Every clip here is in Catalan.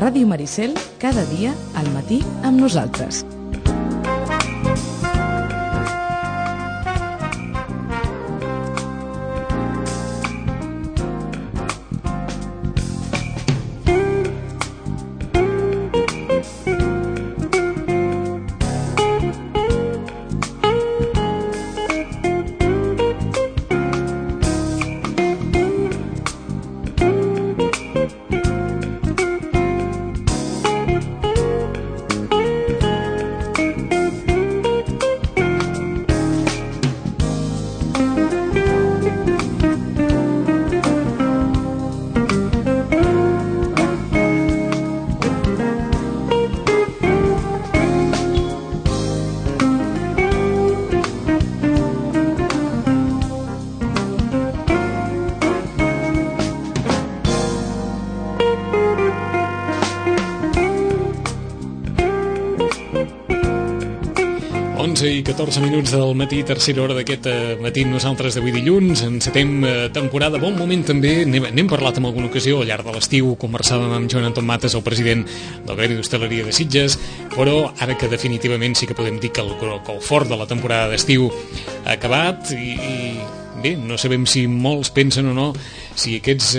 Ràdio Maricel, cada dia al matí amb nosaltres. I 14 minuts del matí, tercera hora d'aquest matí nosaltres d'avui dilluns. Encetem temporada, bon moment també. N'hem parlat en alguna ocasió al llarg de l'estiu. Conversàvem amb Joan Anton Mates, el president del Gremi d'Hostaleria de Sitges, però ara que definitivament sí que podem dir que el fort de la temporada d'estiu ha acabat i bé, no sabem si molts pensen o no si aquests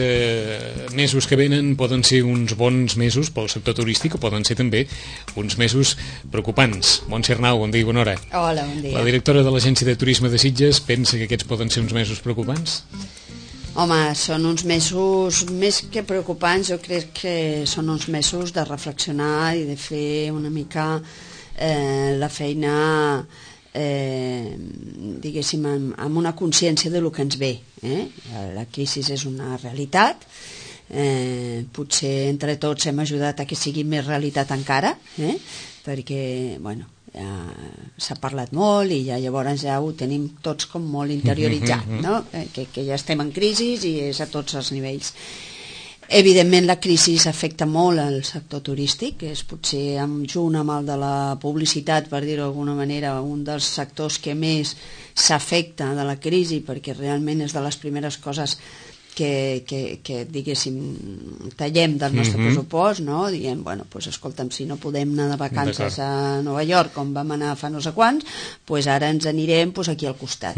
mesos que venen poden ser uns bons mesos pel sector turístic o poden ser també uns mesos preocupants. Montse Arnau, bon dia i bona hora. Hola, bon dia. La directora de l'Agència de Turisme de Sitges pensa que aquests poden ser uns mesos preocupants? Home, són uns mesos més que preocupants, jo crec que són uns mesos de reflexionar i de fer una mica la feina diguéssim amb una consciència de lo que ens ve. La crisi és una realitat, potser entre tots hem ajudat a que sigui més realitat encara, perquè bueno, ja s'ha parlat molt i ja llavors ja ho tenim tots com molt interioritzat, no? que ja estem en crisi i és a tots els nivells. Evidentment la crisi afecta molt al sector turístic, és potser junt amb el de la publicitat, per dir-ho d'alguna manera, un dels sectors que més s'afecta de la crisi, perquè realment és de les primeres coses que diguéssim, tallem del nostre pressupost, no? Diem, bueno, doncs escolta'm, si no podem anar de vacances a Nova York, com vam anar fa no sé quants, doncs ara ens anirem aquí al costat.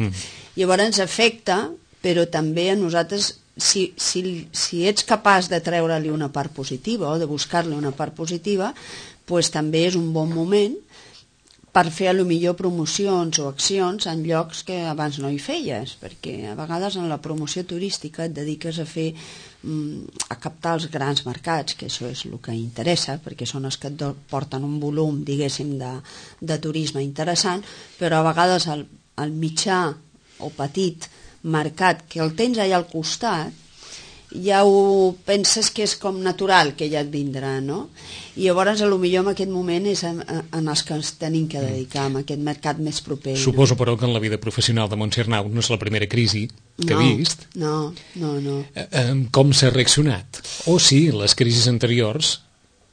Llavors ens afecta, però també a nosaltres, si ets capaç de treure-li una part positiva o de buscar-li una part positiva, doncs també és un bon moment per fer a lo millor promocions o accions en llocs que abans no hi feies, perquè a vegades en la promoció turística et dediques a fer a captar els grans mercats, que això és el que interessa, perquè són els que et porten un volum, diguéssim, de turisme interessant, però a vegades el mitjà o petit mercat que el tens allà al costat ja ho penses que és com natural que ja et vindrà, no? I llavors potser en aquest moment és en els que ens tenim que dedicar a aquest mercat més proper. Suposo, però, que en la vida professional de Montse Arnau no és la primera crisi que ha vist. No. Com s'ha reaccionat? O si les crisis anteriors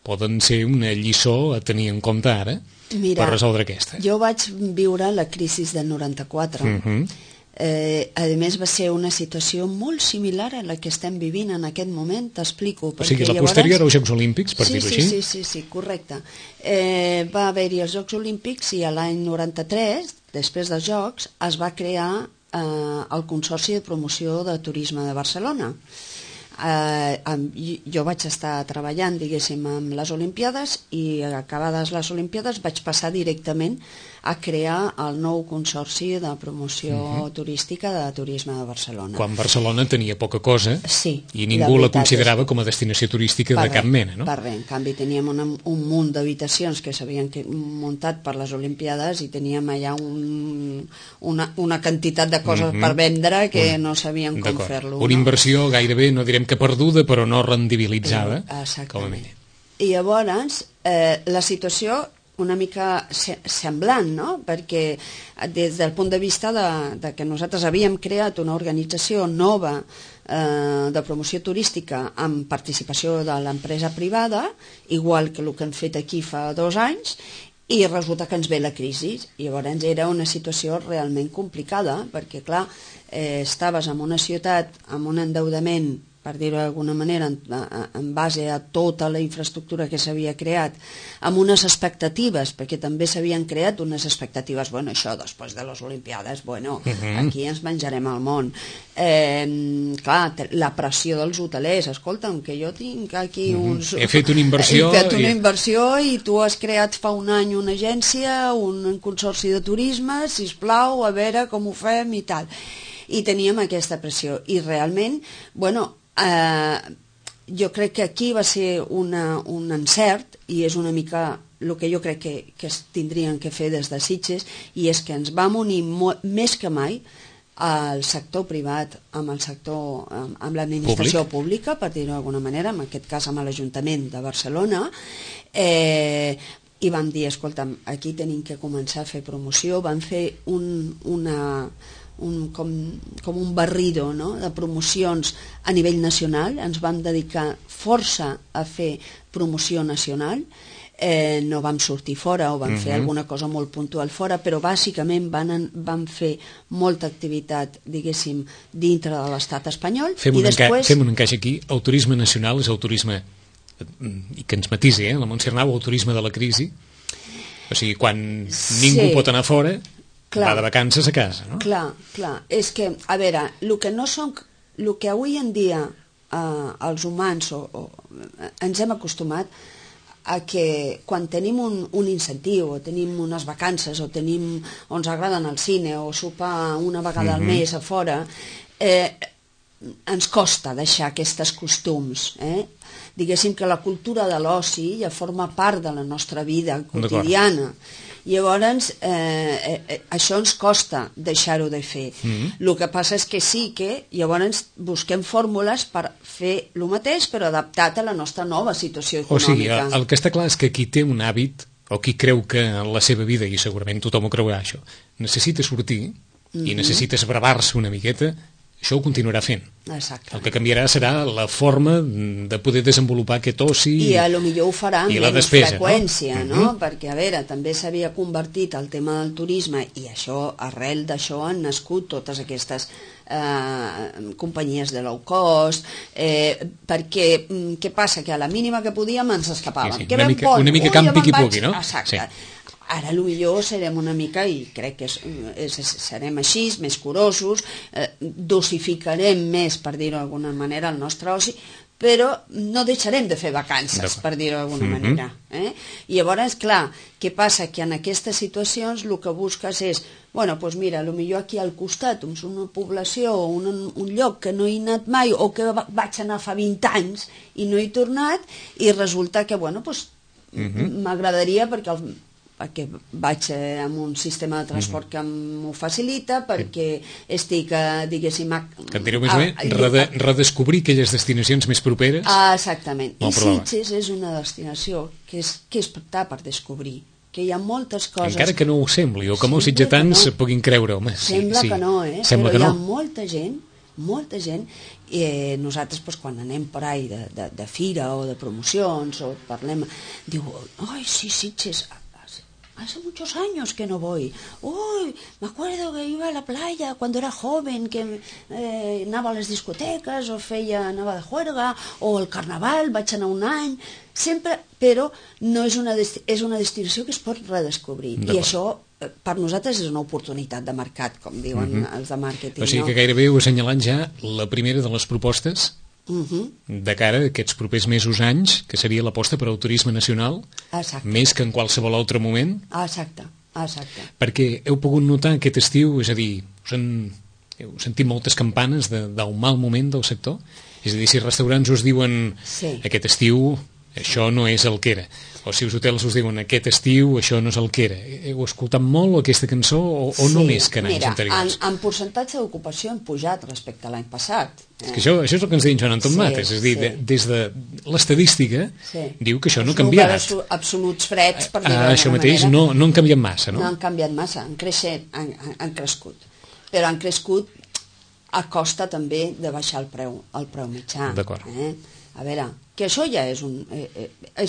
poden ser una lliçó a tenir en compte ara per resoldre aquesta. Jo vaig viure la crisi del 94. A més va ser una situació molt similar a la que estem vivint en aquest moment, t'explico. O sigui, la posterior als Jocs Olímpics, per dir-ho així? Sí, correcte. Va haver-hi els Jocs Olímpics i l'any 93, després dels Jocs, es va crear el Consorci de Promoció de Turisme de Barcelona. Jo vaig estar treballant, diguéssim, amb les Olimpiades i acabades les Olimpiades vaig passar directament a crear el nou Consorci de Promoció Turística de Turisme de Barcelona. Quan Barcelona tenia poca cosa i ningú la considerava com a destinació turística de cap mena, no? Per res, en canvi teníem un munt d'habitacions que s'havien muntat per les Olimpiades i teníem allà una quantitat de coses per vendre que no sabíem com fer-lo. Una inversió gairebé, no direm que perduda, però no rendibilitzada, com a mínim. I llavors la situació una mica semblant, no? Perquè des del punt de vista de que nosaltres havíem creat una organització nova de promoció turística amb participació de l'empresa privada, igual que el que hem fet aquí fa 2 anys, i resulta que ens ve la crisi. Llavors era una situació realment complicada, perquè clar, estaves en una ciutat amb un endeudament per dir-ho d'alguna manera, en base a tota la infraestructura que s'havia creat, amb unes expectatives, perquè també s'havien creat unes expectatives, bueno, això, després de les Olimpiades, bueno, aquí ens menjarem el món. Clar, la pressió dels hotelers, escolta'm, que jo tinc aquí uns... He fet una inversió... He fet una inversió i tu has creat fa un any una agència, un consorci de turisme, sisplau, a veure com ho fem i tal. I teníem aquesta pressió. I realment, bueno, jo crec que aquí va ser un encert i és una mica el que jo crec que es tindrien que fer des de Sitges, i és que ens vam unir més que mai al sector privat amb el sector, amb l'administració pública, per dir-ho d'alguna manera, en aquest cas amb l'Ajuntament de Barcelona, i vam dir, escolta'm, aquí tenim que començar a fer promoció. Vam fer com un barrido, no?, de promocions a nivell nacional. Ens vam dedicar força a fer promoció nacional, no vam sortir fora o vam fer alguna cosa molt puntual fora, però bàsicament vam fer molta activitat, diguéssim, dintre de l'estat espanyol. Fem un encaix aquí. El turisme nacional és el turisme, i que ens matisi, la Montserrat, el turisme de la crisi. O sigui, quan ningú pot anar fora, va de vacances a casa, no? Clar. És que, a veure, el que avui en dia els humans ens hem acostumat a que quan tenim un incentiu, o tenim unes vacances, o ens agrada anar al cine, o sopar una vegada al mes a fora, ens costa deixar aquests costums. Diguéssim que la cultura de l'oci ja forma part de la nostra vida quotidiana. Llavors, això ens costa deixar-ho de fer. El que passa és que sí que llavors busquem fórmules per fer el mateix, però adaptat a la nostra nova situació econòmica. O sigui, el que està clar és que qui té un hàbit, o qui creu que en la seva vida, i segurament tothom ho creurà això, necessita sortir i necessita esbravar-se una miqueta, això ho continuarà fent. Exacte. El que canviarà serà la forma de poder desenvolupar aquest oci i potser ho farà amb menys freqüència, no? Perquè, a veure, també s'havia convertit el tema del turisme, i això, arrel d'això han nascut totes aquestes companyies de low cost, perquè què passa? Que a la mínima que podíem ens escapàvem. Una mica campi qui pugui, no? Exacte. Ara potser serem una mica, i crec que serem així, més curosos, dosificarem més, per dir-ho d'alguna manera, el nostre oci, però no deixarem de fer vacances, per dir-ho d'alguna manera. I llavors, clar, què passa? Que en aquestes situacions el que busques és, bueno, doncs mira, potser aquí al costat, una població o un lloc que no he anat mai, o que vaig anar fa 20 anys i no he tornat, i resulta que, bueno, doncs m'agradaria perquè vaig amb un sistema de transport que m'ho facilita, perquè estic, diguéssim... Que en direu més bé, redescobrir aquelles destinacions més properes. Exactament. I Sitges és una destinació que està per descobrir, que hi ha moltes coses... Encara que no ho sembli, o que molts sitgetans puguin creure. Sembla que no, però hi ha molta gent, i nosaltres quan anem per ahí de fira o de promocions, o parlem, diu, ai, sí, Sitges... Hace muchos años que no voy. Uy, me acuerdo que iba a la playa cuando era joven, que anava a les discoteques, o anava de juerga, o al carnaval, vaig anar un any, sempre, però no és una destinació que es pot redescobrir. I això, per nosaltres, és una oportunitat de mercat, com diuen els de màrqueting. O sigui que gairebé ho assenyalant ja la primera de les propostes de cara a aquests propers mesos, anys, que seria l'aposta per al turisme nacional, més que en qualsevol altre moment. Exacte. Perquè heu pogut notar aquest estiu, és a dir, heu sentit moltes campanes del mal moment del sector? És a dir, si els restaurants us diuen aquest estiu això no és el que era, o si els hotels us diuen aquest estiu això no és el que era, heu escoltat molt aquesta cançó o no més que en anys anteriors? Mira, en percentatge d'ocupació hem pujat respecte a l'any passat. És que això és el que ens deia Joan Anton Mates, és a dir, des de l'estadística diu que això no ha canviat. Els números absoluts freds, per dir-ho d'alguna això mateix no han canviat massa, no? No han canviat massa, han crescut, però han crescut a costa també de baixar el preu mitjà. D'acord. A veure, que això ja és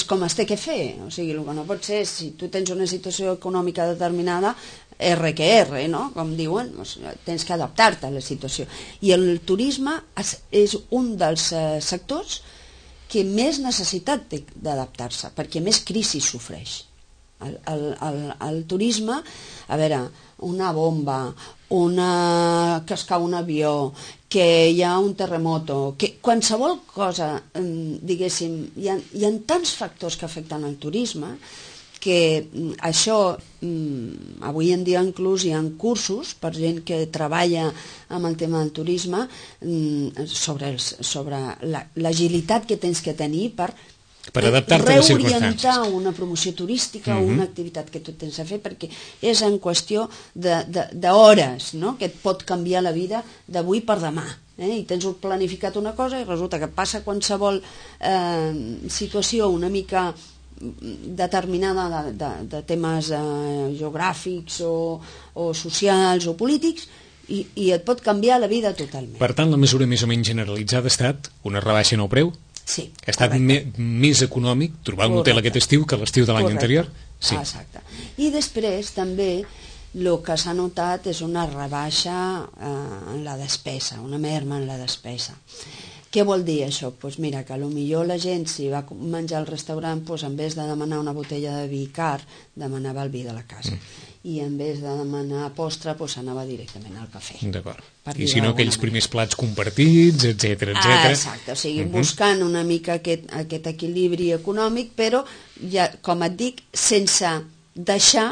com es té que fer, o sigui, el que no pot ser, si tu tens una situació econòmica determinada, R que R, no? Com diuen, tens que adaptar-te a la situació. I el turisme és un dels sectors que més necessitat té d'adaptar-se, perquè més crisi sofreix. El turisme, a veure, una bomba, que es cau un avió, que hi ha un terremoto, que qualsevol cosa, diguéssim, hi ha tants factors que afecten el turisme que això, avui en dia inclús hi ha cursos per gent que treballa amb el tema del turisme sobre l'agilitat que tens que tenir per adaptar-te a les circumstàncies, reorientar una promoció turística o una activitat que tu tens a fer, perquè és en qüestió d'hores, no? Que et pot canviar la vida d'avui per demà. I tens planificat una cosa i resulta que passa qualsevol situació una mica determinada de temes geogràfics o socials o polítics i et pot canviar la vida totalment. Per tant, la mesura més o menys generalitzada ha estat una rebaixa en el preu? Sí. Ha estat més econòmic trobar un hotel aquest estiu que l'estiu de l'any anterior? Sí. Exacte. I després també el que s'ha notat és una rebaixa en la despesa, una merma en la despesa. Què vol dir això? Doncs mira, que potser la gent, si va menjar al restaurant, en vez de demanar una botella de vi car, demanava el vi de la casa. I en vez de demanar postre, anava directament al cafè. D'acord. I si no, aquells primers plats compartits, etcètera. Exacte, o sigui, buscant una mica aquest equilibri econòmic, però, ja, com et dic, sense deixar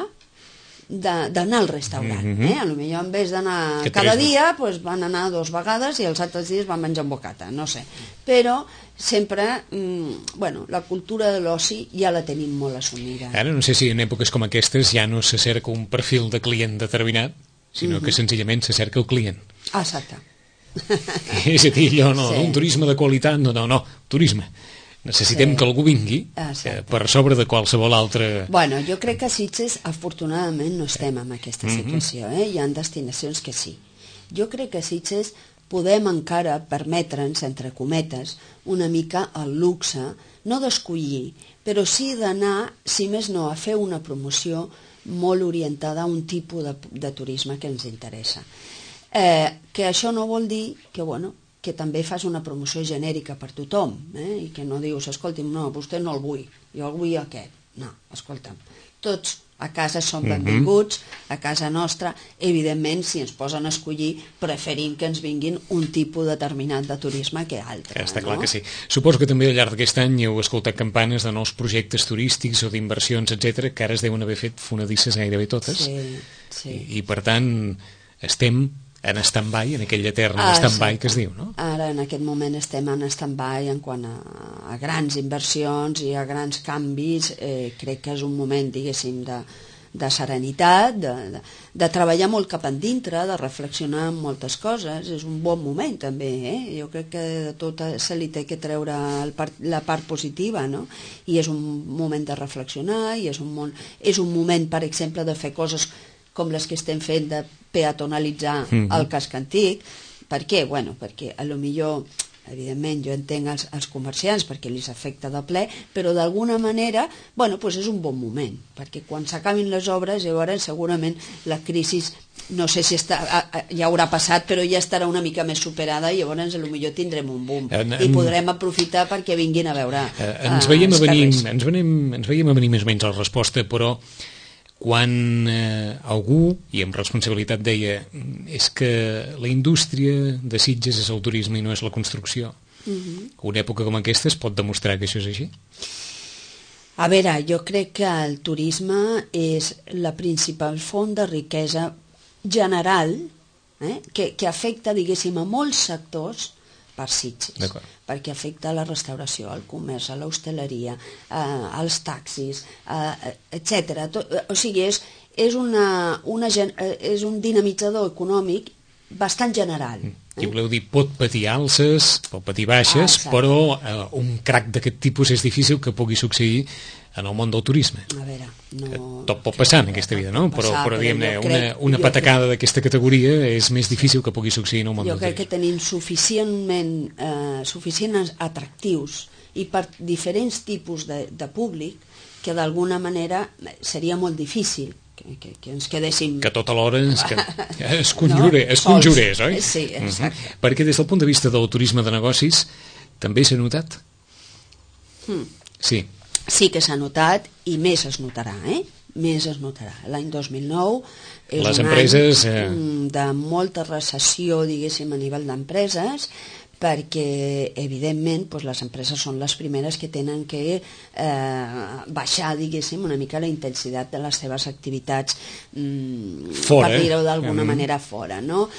d'anar al restaurant. A lo millor en vez d'anar cada dia van anar 2 vegades i els altres dies van menjar un bocata, no sé, però sempre la cultura de l'oci ja la tenim molt assumida. Ara no sé si en èpoques com aquestes ja no se cerca un perfil de client determinat, sinó que senzillament se cerca el client. Exacte. És a dir, allò, un turisme de qualitat, no, turisme. Necessitem que algú vingui per sobre de qualsevol altre... Bueno, jo crec que a Sitges, afortunadament, no estem en aquesta situació. Hi ha destinacions que sí. Jo crec que a Sitges podem encara permetre'ns, entre cometes, una mica el luxe, no d'escollir, però sí d'anar, si més no, a fer una promoció molt orientada a un tipus de turisme que ens interessa. Que això no vol dir que també fas una promoció genèrica per tothom, i que no dius, escolti'm, no, vostè no el vull, jo el vull aquest. No, escolta'm, tots a casa som benvinguts, a casa nostra, evidentment, si ens posen a escollir, preferim que ens vinguin un tipus determinat de turisme que altre. Està clar que sí. Suposo que també al llarg d'aquest any heu escoltat campanes de nous projectes turístics o d'inversions, etc, que ara es deuen haver fet fonadisses gairebé totes. Sí. I per tant, estem en stand-by, en aquell etern stand-by que es diu, no? Ara, en aquest moment, estem en stand-by en quant a grans inversions i a grans canvis. Crec que és un moment, diguéssim, de serenitat, de treballar molt cap endintre, de reflexionar en moltes coses. És un bon moment, també, Jo crec que de tot se li té que treure la part positiva, no? I és un moment de reflexionar, i és un moment, per exemple, de fer coses com les que estem fent de peatonalitzar el casc antic. Per què? Perquè a lo millor, evidentment, jo entenc els comerciants perquè els afecta de ple, però d'alguna manera, és un bon moment, perquè quan s'acabin les obres, llavors segurament la crisi, no sé si ja haurà passat, però ja estarà una mica més superada i llavors a lo millor tindrem un boom i podrem aprofitar perquè vinguin a veure ens veiem a venir més o menys a la resposta, però quan algú, i amb responsabilitat deia, és que la indústria de Sitges és el turisme i no és la construcció. Una època com aquesta es pot demostrar que això és així? A veure, jo crec que el turisme és la principal font de riquesa general que afecta, diguéssim, a molts sectors per Sitges, perquè afecta la restauració, el comerç, l'hostaleria, els taxis, etc. O sigui, és un dinamitzador econòmic bastant general. I voleu dir, pot patir alces, pot patir baixes, però un crac d'aquest tipus és difícil que pugui succeir en el món del turisme. A veure, no... Tot pot passar en aquesta vida, no? Però diguem-ne, una patacada d'aquesta categoria és més difícil que pugui succeir en el món del turisme. Jo crec que tenim suficients atractius i per diferents tipus de públic que d'alguna manera seria molt difícil que ens quedéssim... Que tota l'hora es conjurés, oi? Sí, exacte. Perquè des del punt de vista del turisme de negocis també s'ha notat? Sí. Sí que s'ha notat i més es notarà, més es notarà. L'any 2009 és les un empreses, any de molta recessió, diguéssim, a nivell d'empreses, perquè evidentment les empreses són les primeres que tenen que baixar, diguéssim, una mica la intensitat de les seves activitats fora, per dir-ho d'alguna manera fora, no?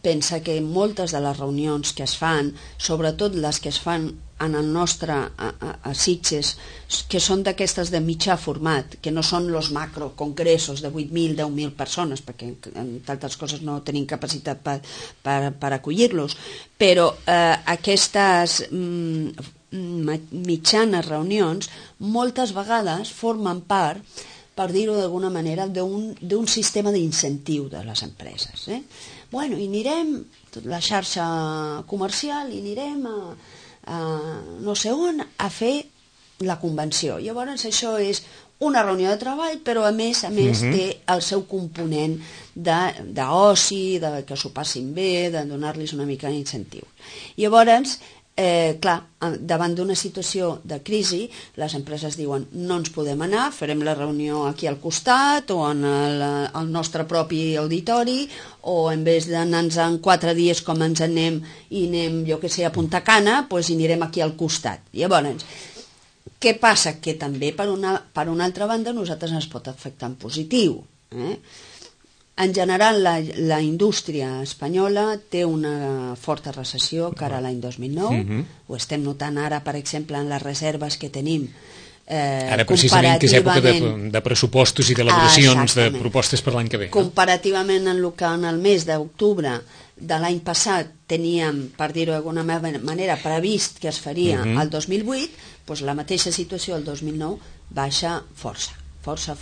Pensa que moltes de les reunions que es fan, sobretot les que es fan en el nostre a Sitges, que són d'aquestes de mitjà format, que no són els macrocongressos de 8.000, 10.000 persones, perquè entre altres coses no tenim capacitat per acollir-los, però aquestes mitjanes reunions moltes vegades formen part, per dir-ho d'alguna manera, d'un sistema d'incentiu de les empreses. Bueno, i anirem, la xarxa comercial, i anirem a no sé on a fer la convenció. Llavors això és una reunió de treball, però a més té el seu component d'oci, que s'ho passin bé, de donar-los una mica d'incentiu. Llavors, clar, davant d'una situació de crisi, les empreses diuen no ens podem anar, farem la reunió aquí al costat o en el nostre propi auditori, o en vez d'anar-nos en 4 dies com ens anem i anem, jo que sé, a Punta Cana, doncs anirem aquí al costat. Llavors, què passa? Que també per una altra banda nosaltres ens pot afectar en positiu. En general, la indústria espanyola té una forta recessió cara a l'any 2009. Ho estem notant ara, per exemple, en les reserves que tenim. Ara precisament que és època de pressupostos i d'elaboracions de propostes per l'any que ve. Comparativament en el mes d'octubre de l'any passat teníem, per dir-ho d'alguna manera, previst que es faria el 2008, doncs la mateixa situació el 2009 baixa força. Força,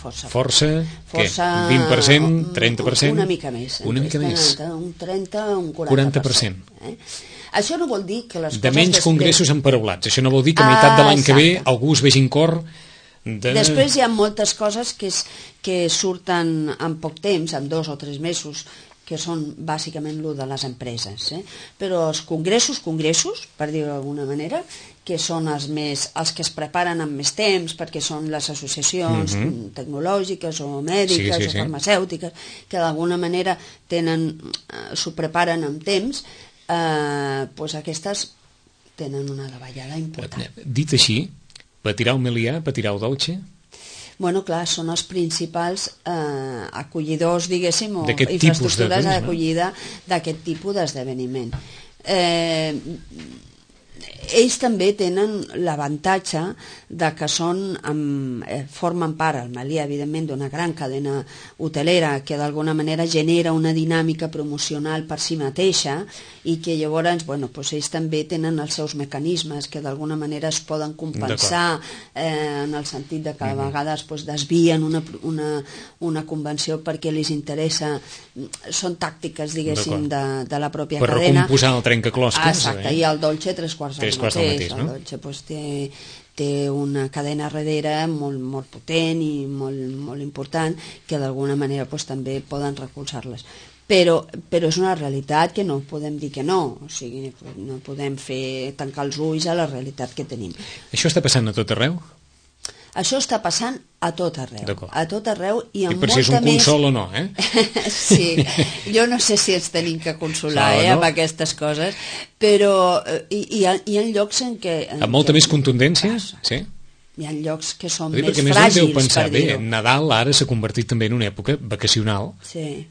què? 20%, 30%? Una mica més. Una mica més. Un 30, un 40%. Això no vol dir que les coses... De menys congressos emparaulats. Això no vol dir que a meitat de l'any que ve algú es vegi en cor de... Després hi ha moltes coses que surten en poc temps, en 2 o 3 mesos, que són bàsicament el de les empreses. Però els congressos, per dir-ho d'alguna manera, que són els que es preparen amb més temps, perquè són les associacions tecnològiques o mèdiques o farmacèutiques, que d'alguna manera s'ho preparen amb temps, doncs aquestes tenen una davallada important. Dit així, patirà el melià, patirà el dolce? Bueno, clar, són els principals acollidors, diguéssim, o infraestructures d'acollida d'aquest tipus d'esdeveniment. Ells també tenen l'avantatge de que formen part, el Melià, evidentment, d'una gran cadena hotelera que d'alguna manera genera una dinàmica promocional per si mateixa i que llavors, ells també tenen els seus mecanismes que d'alguna manera es poden compensar en el sentit de que a vegades desvien una convenció perquè els interessa, són tàctiques, diguéssim, de la pròpia cadena. Per recomposar el trencaclosques. Exacte, i el Dolce 3 quarts del mateix, no? El Dolce té una cadena darrere molt potent i molt important que d'alguna manera també poden recolzar-les. Però és una realitat que no podem dir que no, o sigui, no podem tancar els ulls a la realitat que tenim. Això està passant a tot arreu? Això està passant a tot arreu. A tot arreu i amb molta més... Per si és un consol o no, Sí, jo no sé si ens tenim que consolar amb aquestes coses, però hi ha llocs en què... Amb molta més contundència? Sí. Hi ha llocs que són més fràgils, per dir-ho. Nadal ara s'ha convertit també en una època vacacional. Sí.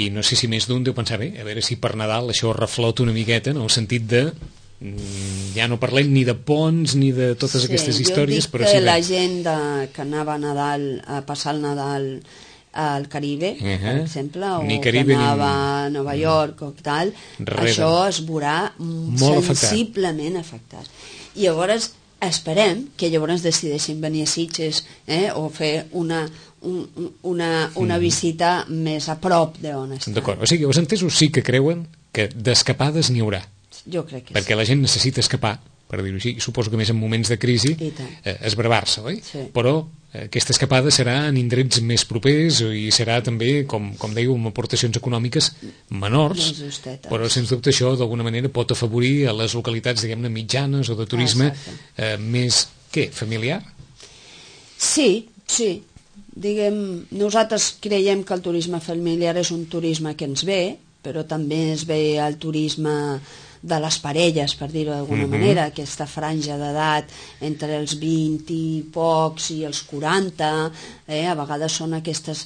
I no sé si més d'un deu pensar, a veure si per Nadal això reflota una miqueta, en el sentit de... ja no parlem ni de ponts ni de totes aquestes històries, però sí que la gent que anava a passar el Nadal al Caribe, per exemple, o que anava a Nova York o tal, això es veurà sensiblement afectat. I llavors esperem que llavors decideixin venir a Sitges o fer una visita més a prop d'on estan. D'acord, o sigui, els entesos sí que creuen que d'escapades n'hi haurà. Jo crec que perquè la gent necessita escapar per dir-ho així, suposo que més en moments de crisi, esbravar-se, oi? Sí. Però aquesta escapada serà en indrets més propers i serà també, com dèieu, amb aportacions econòmiques menors, però sens dubte això d'alguna manera pot afavorir a les localitats, diguem-ne, mitjanes o de turisme més, familiar? Sí. Nosaltres creiem que el turisme familiar és un turisme que ens ve, però també es ve el turisme de les parelles, per dir-ho d'alguna manera, aquesta franja d'edat entre els 20 i pocs i els 40, a vegades són aquestes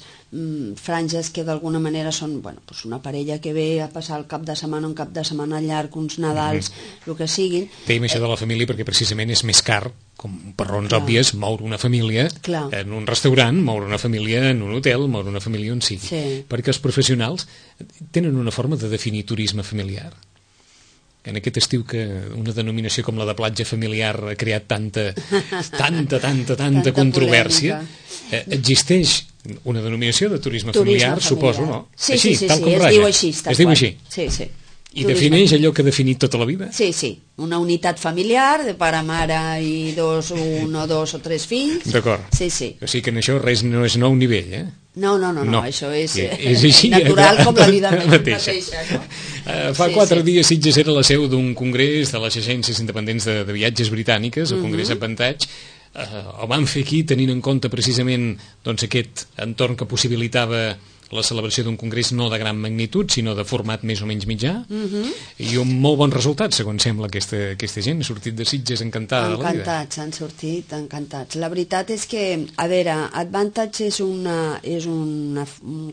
franges que d'alguna manera són una parella que ve a passar el cap de setmana, un cap de setmana llarg, uns Nadals, el que siguin. Dèiem això de la família perquè precisament és més car, com per raons òbvies, moure una família en un restaurant, moure una família en un hotel, moure una família on sigui. Perquè els professionals tenen una forma de definir turisme familiar. En aquest estiu que una denominació com la de platja familiar ha creat tanta controvèrsia, existeix una denominació de turisme familiar, suposo, no? Sí, tal com ratlla. Es diu així. Sí. I defineix allò que ha definit tota la vida? Sí, una unitat familiar de pare, mare i un o dos o tres fills. D'acord. Sí. O sigui que en això res no és nou nivell, eh? No, això és natural com la vida mateixa. Fa 4 dies Sitges era la seu d'un congrés de les agències independents de viatges britàniques, el Congrés Advantage. El van fer aquí tenint en compte precisament aquest entorn que possibilitava la celebració d'un congrés no de gran magnitud, sinó de format més o menys mitjà, i un molt bon resultat, segons sembla, aquesta gent ha sortit de Sitges encantada de la vida. Encantats, han sortit encantats. La veritat és que, a veure, Advantage és un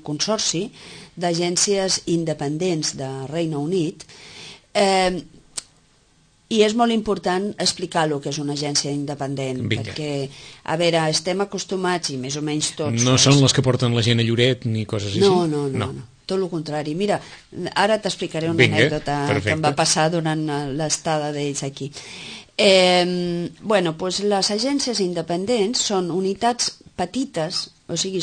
consorci d'agències independents de Regne Unit, i és molt important explicar el que és una agència independent, perquè, a veure, estem acostumats, i més o menys tots... No són les que porten la gent a Lloret ni coses així? No. Tot el contrari. Mira, ara t'explicaré una anècdota que em va passar durant l'estada d'ells aquí. Les agències independents són unitats petites, o sigui,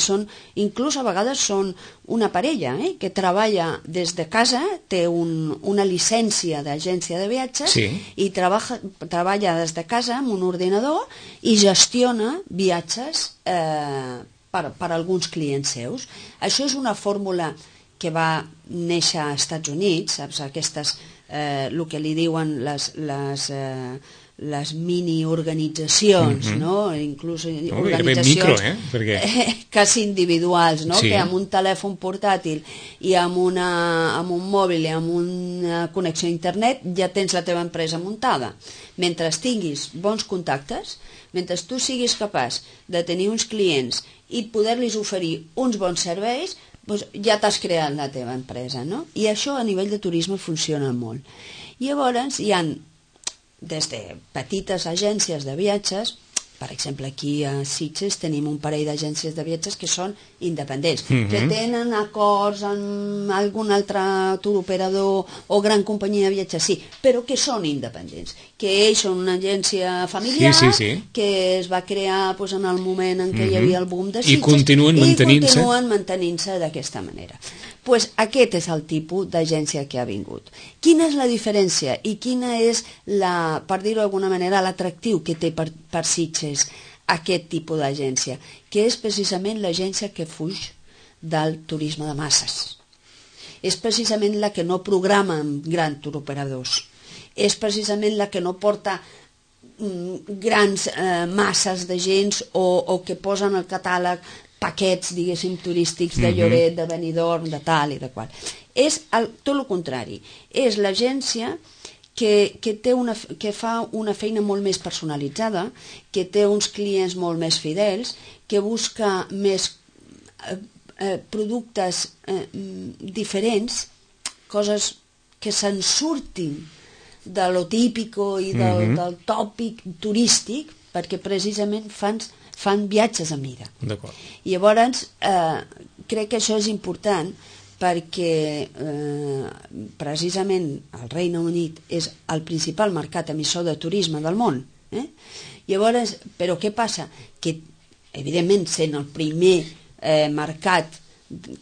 inclús a vegades són una parella que treballa des de casa, té una llicència d'agència de viatges i treballa des de casa amb un ordinador i gestiona viatges per alguns clients seus. Això és una fórmula que va néixer als Estats Units, saps? Aquestes, el que li diuen les mini-organitzacions, no? Inclús organitzacions quasi individuals, no? Que amb un telèfon portàtil i amb un mòbil i amb una connexió a internet ja tens la teva empresa muntada. Mentre tinguis bons contactes, mentre tu siguis capaç de tenir uns clients i poder-los oferir uns bons serveis, ja t'has creat la teva empresa, no? I això a nivell de turisme funciona molt. Llavors hi ha des de petites agències de viatges, per exemple aquí a Sitges tenim un parell d'agències de viatges que són independents, que tenen acords amb algun altre tour operador o gran companyia de viatges, sí, però que són independents, que ells són una agència familiar que es va crear en el moment en què hi havia el boom de Sitges i continuen mantenint-se d'aquesta manera. Aquest és el tipus d'agència que ha vingut. Quina és la diferència i quina és, per dir-ho d'alguna manera, l'atractiu que té per Sitges aquest tipus d'agència? Que és precisament l'agència que fuig del turisme de masses. És precisament la que no programa amb grans turoperadors. És precisament la que no porta grans masses de gens o que posen al catàleg paquets, diguéssim, turístics de Lloret, de Benidorm, de tal i de qual. És tot el contrari. És l'agència que fa una feina molt més personalitzada, que té uns clients molt més fidels, que busca més productes diferents, coses que se'n surtin de lo típico i del tòpic turístic, perquè precisament fan viatges a mida. I llavors crec que això és important perquè precisament el Regne Unit és el principal mercat emissor de turisme del món. Llavors, però què passa? Que evidentment sent el primer mercat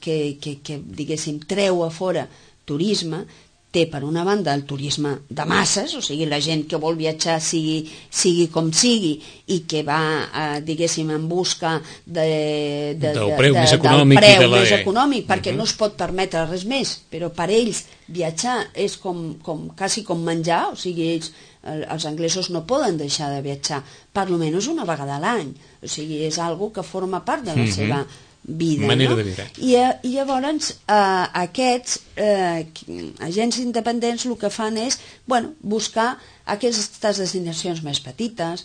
que diguéssim treu a fora turisme, té per una banda el turisme de masses, o sigui, la gent que vol viatjar sigui com sigui i que va, diguéssim, en busca del preu més econòmic, perquè no es pot permetre res més, però per ells viatjar és quasi com menjar, o sigui, els anglesos no poden deixar de viatjar per almenys una vegada a l'any, o sigui, és algo que forma part de la seva vida, manera no? de viure. I llavors aquests agents independents el que fan és buscar aquestes destinacions més petites,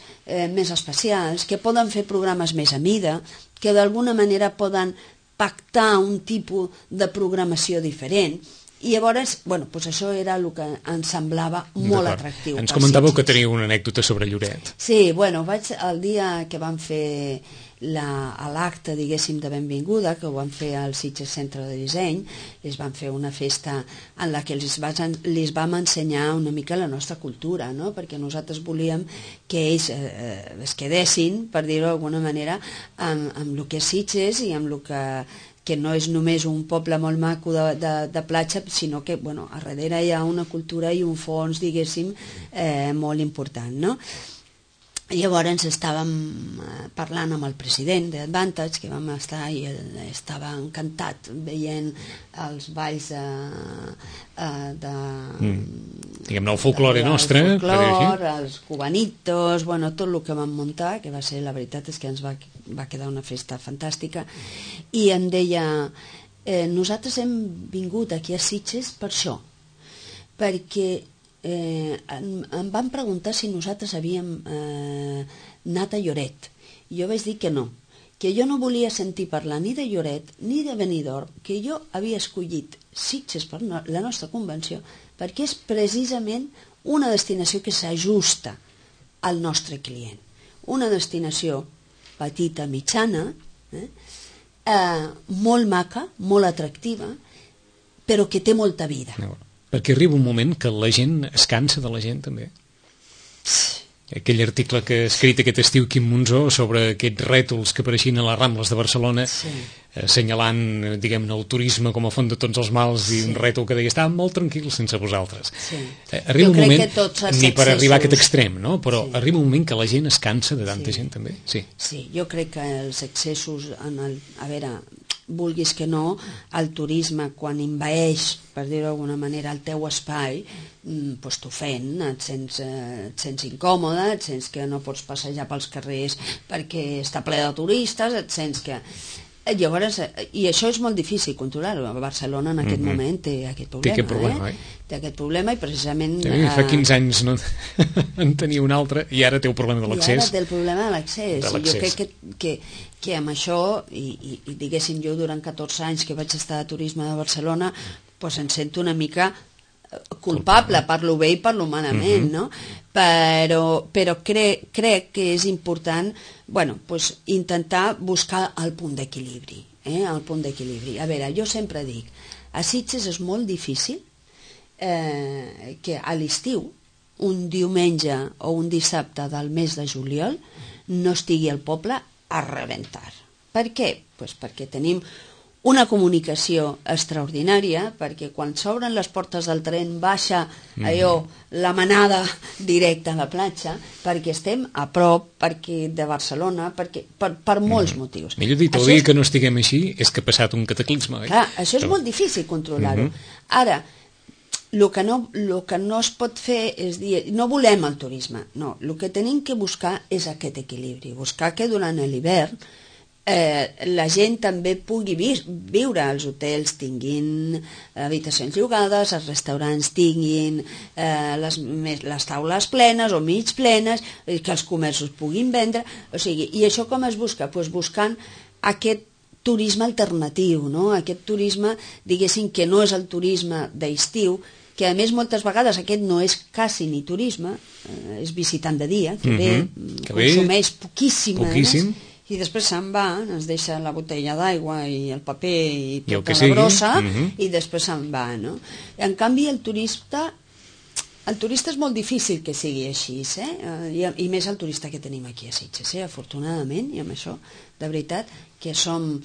més especials, que poden fer programes més a mida, que d'alguna manera poden pactar un tipus de programació diferent. I llavors, això era el que ens semblava molt atractiu. Ens comentàveu que teniu una anècdota sobre Lloret. Sí, el dia que vam fer l'acte, diguéssim, de benvinguda, que ho van fer al Sitges Centre de Disseny, es van fer una festa en la que els vam ensenyar una mica la nostra cultura, no? Perquè nosaltres volíem que ells es quedessin, per dir-ho d'alguna manera, amb el que és Sitges i amb el que no és només un poble molt maco de platja, sinó que a darrere hi ha una cultura i un fons, diguéssim, molt important, no? Llavors estàvem parlant amb el president d'Advantage, que vam estar i ell estava encantat veient els balls diguem-ne el folklore nostre, el folklore, els cubanitos, tot el que vam muntar, que va ser, la veritat és que ens va quedar una festa fantàstica, i em deia, nosaltres hem vingut aquí a Sitges per això, perquè em van preguntar si nosaltres havíem anat a Lloret. Jo vaig dir que no, que jo no volia sentir parlar ni de Lloret ni de Benidorm, que jo havia escollit Sitges per la nostra convenció perquè és precisament una destinació que s'ajusta al nostre client. Una destinació petita, mitjana, molt maca, molt atractiva, però que té molta vida. Perquè arriba un moment que la gent es cansa de la gent, també. Aquell article que ha escrit aquest estiu Quim Monzó sobre aquests rètols que apareixien a les Rambles de Barcelona, assenyalant, diguem-ne, el turisme com a font de tots els mals, i un rètol que deia, estàvem molt tranquils sense vosaltres. Arriba un moment, ni per arribar a aquest extrem, no? Però arriba un moment que la gent es cansa de tanta gent, també. Sí, jo crec que els excessos, a veure, vulguis que no, el turisme quan envaeix, per dir-ho d'alguna manera, el teu espai, t'ofèn, et sents incòmode, et sents que no pots passejar pels carrers perquè està ple de turistes, et sents que... Llavors, i això és molt difícil controlar-ho. Barcelona en aquest moment té aquest problema. Té aquest problema, Té aquest problema i precisament... Fa 15 anys no en tenia un altre i ara té el problema de l'accés. I ara té el problema de l'accés. Jo crec que amb això, i diguéssim jo durant 14 anys que vaig estar a turisme de Barcelona, doncs em sento una mica culpable, parlo bé i parlo malament, no? Però crec que és important intentar buscar el punt d'equilibri, el punt d'equilibri. A veure, jo sempre dic, a Sitges és molt difícil que a l'estiu, un diumenge o un dissabte del mes de juliol, no estigui el poble a rebentar. Per què? Perquè tenim una comunicació extraordinària, perquè quan s'obren les portes del tren baixa la manada directa a la platja, perquè estem a prop de Barcelona, per molts motius. Millor dit, el dia que no estiguem així és que ha passat un cataclisme. Clar, això és molt difícil controlar-ho. Ara, el que no es pot fer és dir, no volem el turisme, no, el que tenim que buscar és aquest equilibri, buscar que durant l'hivern la gent també pugui viure, els hotels tinguin habitacions llogades, els restaurants tinguin les taules plenes o mig plenes, que els comerços puguin vendre, o sigui, i això com es busca? Doncs buscant aquest turisme alternatiu, no? Aquest turisme, diguéssim, que no és el turisme d'estiu, que a més moltes vegades aquest no és quasi ni turisme, és visitant de dia, que ve, consumeix poquíssim, i després se'n va, ens deixa la botella d'aigua i el paper i tota la brossa, i després se'n va, no? En canvi, el turista és molt difícil que sigui així, i més el turista que tenim aquí a Sitges, afortunadament, i amb això, de veritat, que som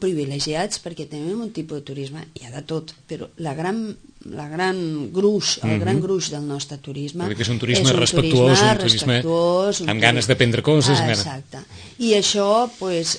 privilegiats perquè tenim un tipus de turisme, hi ha de tot, però la gran la gran gruix, el gran gruix del nostre turisme. Que és un turisme respectuós, un turisme amb ganes d'aprendre coses. Exacte. I això,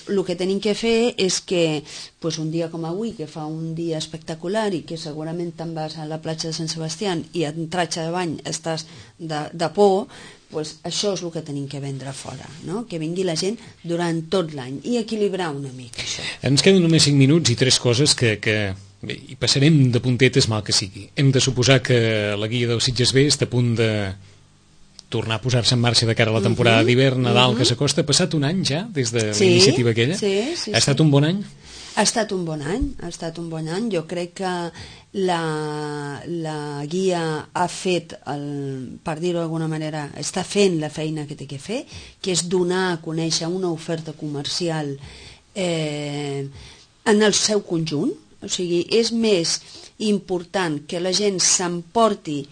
el que tenim que fer és que un dia com avui, que fa un dia espectacular i que segurament te'n vas a la platja de Sant Sebastià i en tratge de bany estàs de por, això és el que tenim que vendre fora, no? Que vingui la gent durant tot l'any i equilibrar una mica això. Ens queden només 5 minuts i 3 coses que bé, i passarem de puntetes mal que sigui. Hem de suposar que la guia del Sitges B està a punt de tornar a posar-se en marxa de cara a la temporada d'hivern, Nadal, que s'acosta. Ha passat un any ja des de la iniciativa aquella? Sí. Ha estat un bon any? Ha estat un bon any. Jo crec que la guia ha fet, per dir-ho d'alguna manera, està fent la feina que té que fer, que és donar a conèixer una oferta comercial en el seu conjunt. O sigui, és més important que la gent s'emporti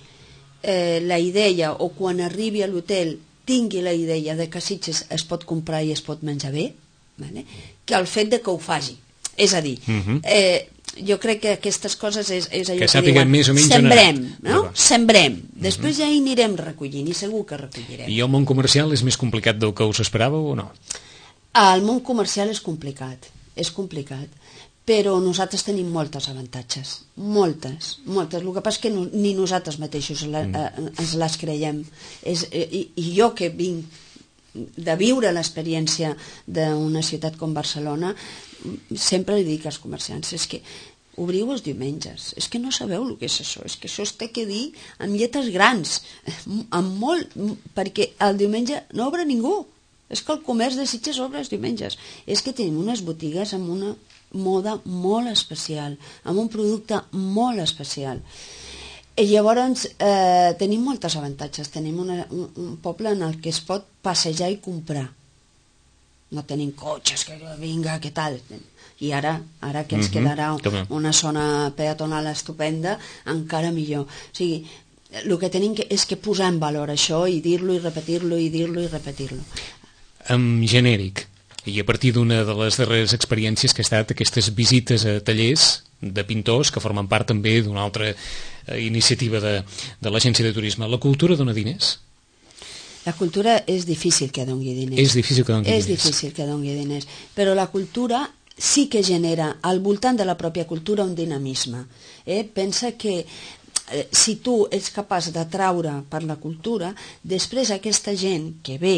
la idea, o quan arribi a l'hotel tingui la idea de que a Sitges es pot comprar i es pot menjar bé, que el fet de que ho faci. És a dir, jo crec que aquestes coses és allò que sàpiguen més o menys sembrem, no? Sembrem. Després ja hi anirem recollint i segur que recollirem. I el món comercial és més complicat del que us esperàveu o no? El món comercial és complicat, però nosaltres tenim moltes avantatges, moltes. El que passa és que ni nosaltres mateixos ens les creiem. I jo que vinc de viure l'experiència d'una ciutat com Barcelona, sempre li dic als comerciants, és que obriu els diumenges, és que no sabeu el que és això, és que això es té que dir amb lletres grans, perquè el diumenge no obre ningú. És que el comerç de Sitges obre els diumenges. És que tenim unes botigues amb una moda molt especial, amb un producte molt especial. I llavors tenim moltes avantatges. Tenim un poble en el que es pot passejar i comprar. No tenim cotxes, que vinga, què tal? I ara que ens quedarà una zona peatonal estupenda, encara millor. O sigui, el que tenim és que posar en valor això i dir-lo i repetir-lo i dir-lo i repetir-lo. En genèric, i a partir d'una de les darreres experiències que ha estat aquestes visites a tallers de pintors que formen part també d'una altra iniciativa de l'agència de turisme, la cultura dona diners? La cultura és difícil que doni diners. És difícil que doni diners. És difícil que doni diners, però la cultura sí que genera al voltant de la pròpia cultura un dinamisme. Pensa que si tu ets capaç d'atraure per la cultura, després aquesta gent que ve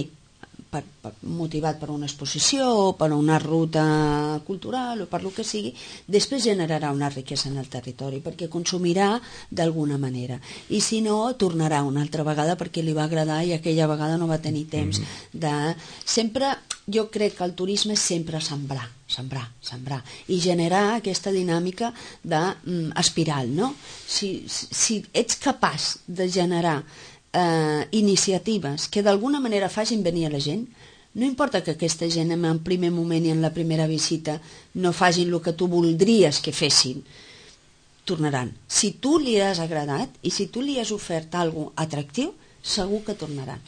motivat per una exposició o per una ruta cultural o per el que sigui, després generarà una riquesa en el territori perquè consumirà d'alguna manera i si no, tornarà una altra vegada perquè li va agradar i aquella vegada no va tenir temps de... Sempre, jo crec que el turisme és sempre sembrar i generar aquesta dinàmica d'espiral, no? Si ets capaç de generar iniciatives que d'alguna manera facin venir a la gent, no importa que aquesta gent en el primer moment i en la primera visita no facin el que tu voldries que fessin, tornaran. Si tu li has agradat i si tu li has ofert alguna cosa atractiu, segur que tornaran.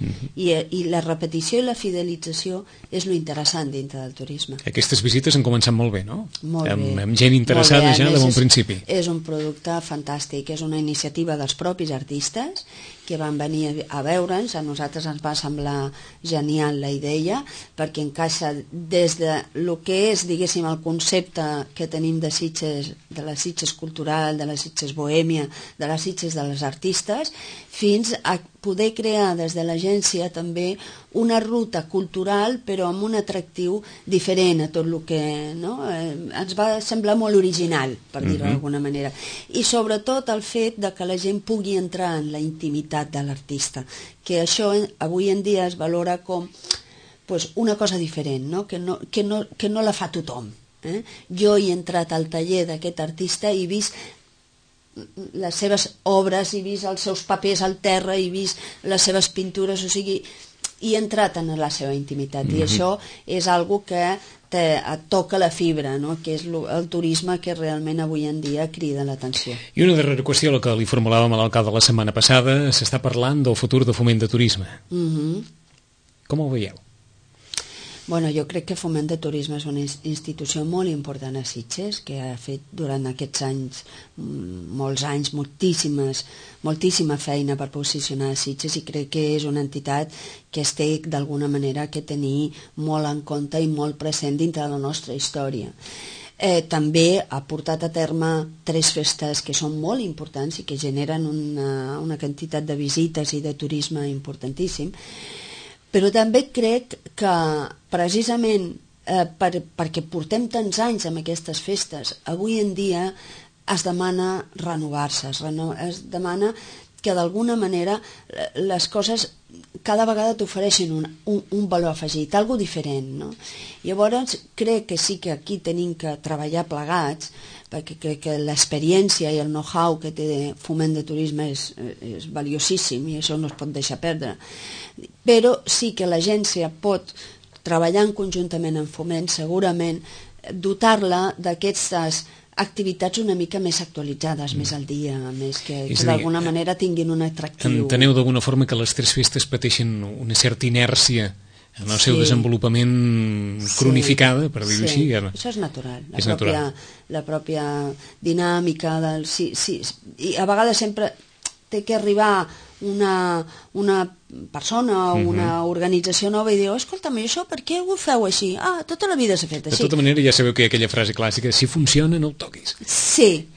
I la repetició i la fidelització és lo interessant dintre del turisme. Aquestes visites han començat molt bé, no? Molt bé. Amb gent interessada ja de bon principi. És un producte fantàstic, és una iniciativa dels propis artistes que van venir a veure'ns, a nosaltres ens va semblar genial la idea, perquè encaixa des de lo que és, diguéssim, el concepte que tenim de Sitges, de la Sitges cultural, de la Sitges bohèmia, de la Sitges de les artistes, fins a poder crear des de l'agència també una ruta cultural però amb un atractiu diferent a tot el que ens va semblar molt original, per dir-ho d'alguna manera, i sobretot el fet de que la gent pugui entrar en la intimitat de l'artista, que això avui en dia es valora com una cosa diferent, que no la fa tothom. Jo he entrat al taller d'aquest artista i he vist les seves obres, he vist els seus papers al terra, he vist les seves pintures, o sigui, he entrat en la seva intimitat i això és algo que et toca la fibra, que és el turisme que realment avui en dia crida l'atenció. I una darrera qüestió, la que li formulàvem a l'alcalde la setmana passada, s'està parlant del futur de Foment de Turisme. Com ho veieu? Bueno, jo crec que Foment de Turisme és una institució molt important a Sitges, que ha fet durant aquests anys, molts anys, moltíssima feina per posicionar a Sitges, i crec que és una entitat que es té d'alguna manera que tenir molt en compte i molt present dintre de la nostra història. També ha portat a terme 3 festes que són molt importants i que generen una quantitat de visites i de turisme importantíssim. Però també crec que precisament perquè portem tants anys amb aquestes festes, avui en dia es demana renovar-se, es demana que d'alguna manera les coses cada vegada t'ofereixen un valor afegit, algo diferent, no? Llavors crec que sí que aquí tenim que treballar plegats, perquè crec que l'experiència i el know-how que té Foment de Turisme és valiosíssim i això no es pot deixar perdre. Però sí que l'agència pot, treballant conjuntament en Foment, segurament dotar-la d'aquestes activitats una mica més actualitzades, més al dia, més que d'alguna manera tinguin un atractiu. Enteneu d'alguna forma que les 3 festes pateixen una certa inèrcia en el seu desenvolupament cronificada, per dir-ho així. Això és natural. La pròpia dinàmica del... Sí. I a vegades sempre té que arribar una persona o una organització nova i diu, escolta'm, això per què ho feu així? Tota la vida s'ha fet així. De tota manera ja sabeu que hi ha aquella frase clàssica, si funciona no ho toquis. Sí,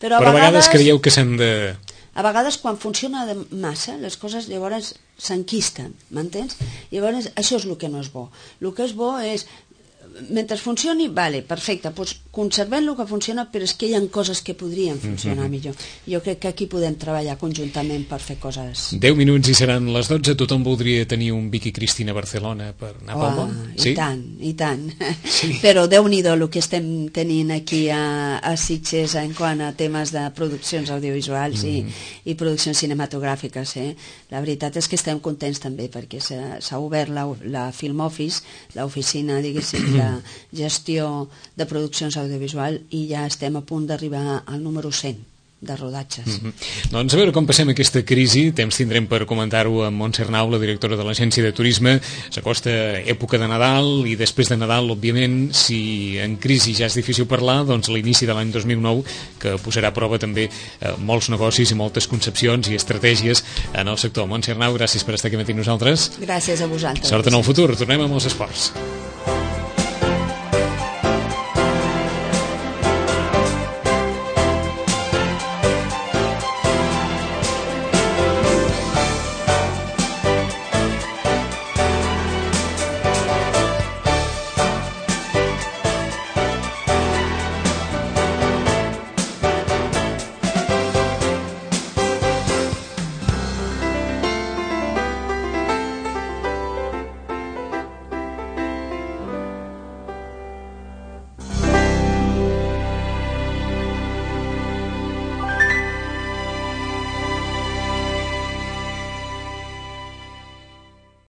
però a vegades creieu que s'han de... A vegades quan funciona massa les coses llavors s'enquisten, m'entens? Llavors això és el que no és bo. El que és bo és, mentre funcioni, vale, perfecte, doncs conservem el que funciona, però és que hi ha coses que podrien funcionar millor. Jo crec que aquí podem treballar conjuntament per fer coses. 10 minuts i seran les 12, tothom voldria tenir un Vicky Cristina a Barcelona per anar pel món? Sí? I tant. Sí. Però Déu-n'hi-do el que estem tenint aquí a Sitges en quant a temes de produccions audiovisuals i produccions cinematogràfiques. La veritat és que estem contents també perquè s'ha obert la Film Office, l'oficina, diguéssim, de gestió de produccions audiovisual, i ja estem a punt d'arribar al número 100 de rodatges. Doncs a veure com passem aquesta crisi, temps tindrem per comentar-ho amb Montse Arnau, la directora de l'Agència de Turisme. S'acosta època de Nadal i després de Nadal, òbviament, si en crisi ja és difícil parlar, doncs l'inici de l'any 2009, que posarà a prova també molts negocis i moltes concepcions i estratègies en el sector. Montse Arnau, gràcies per estar aquí amb nosaltres. Gràcies a vosaltres. Sort en el futur, tornem amb els esports.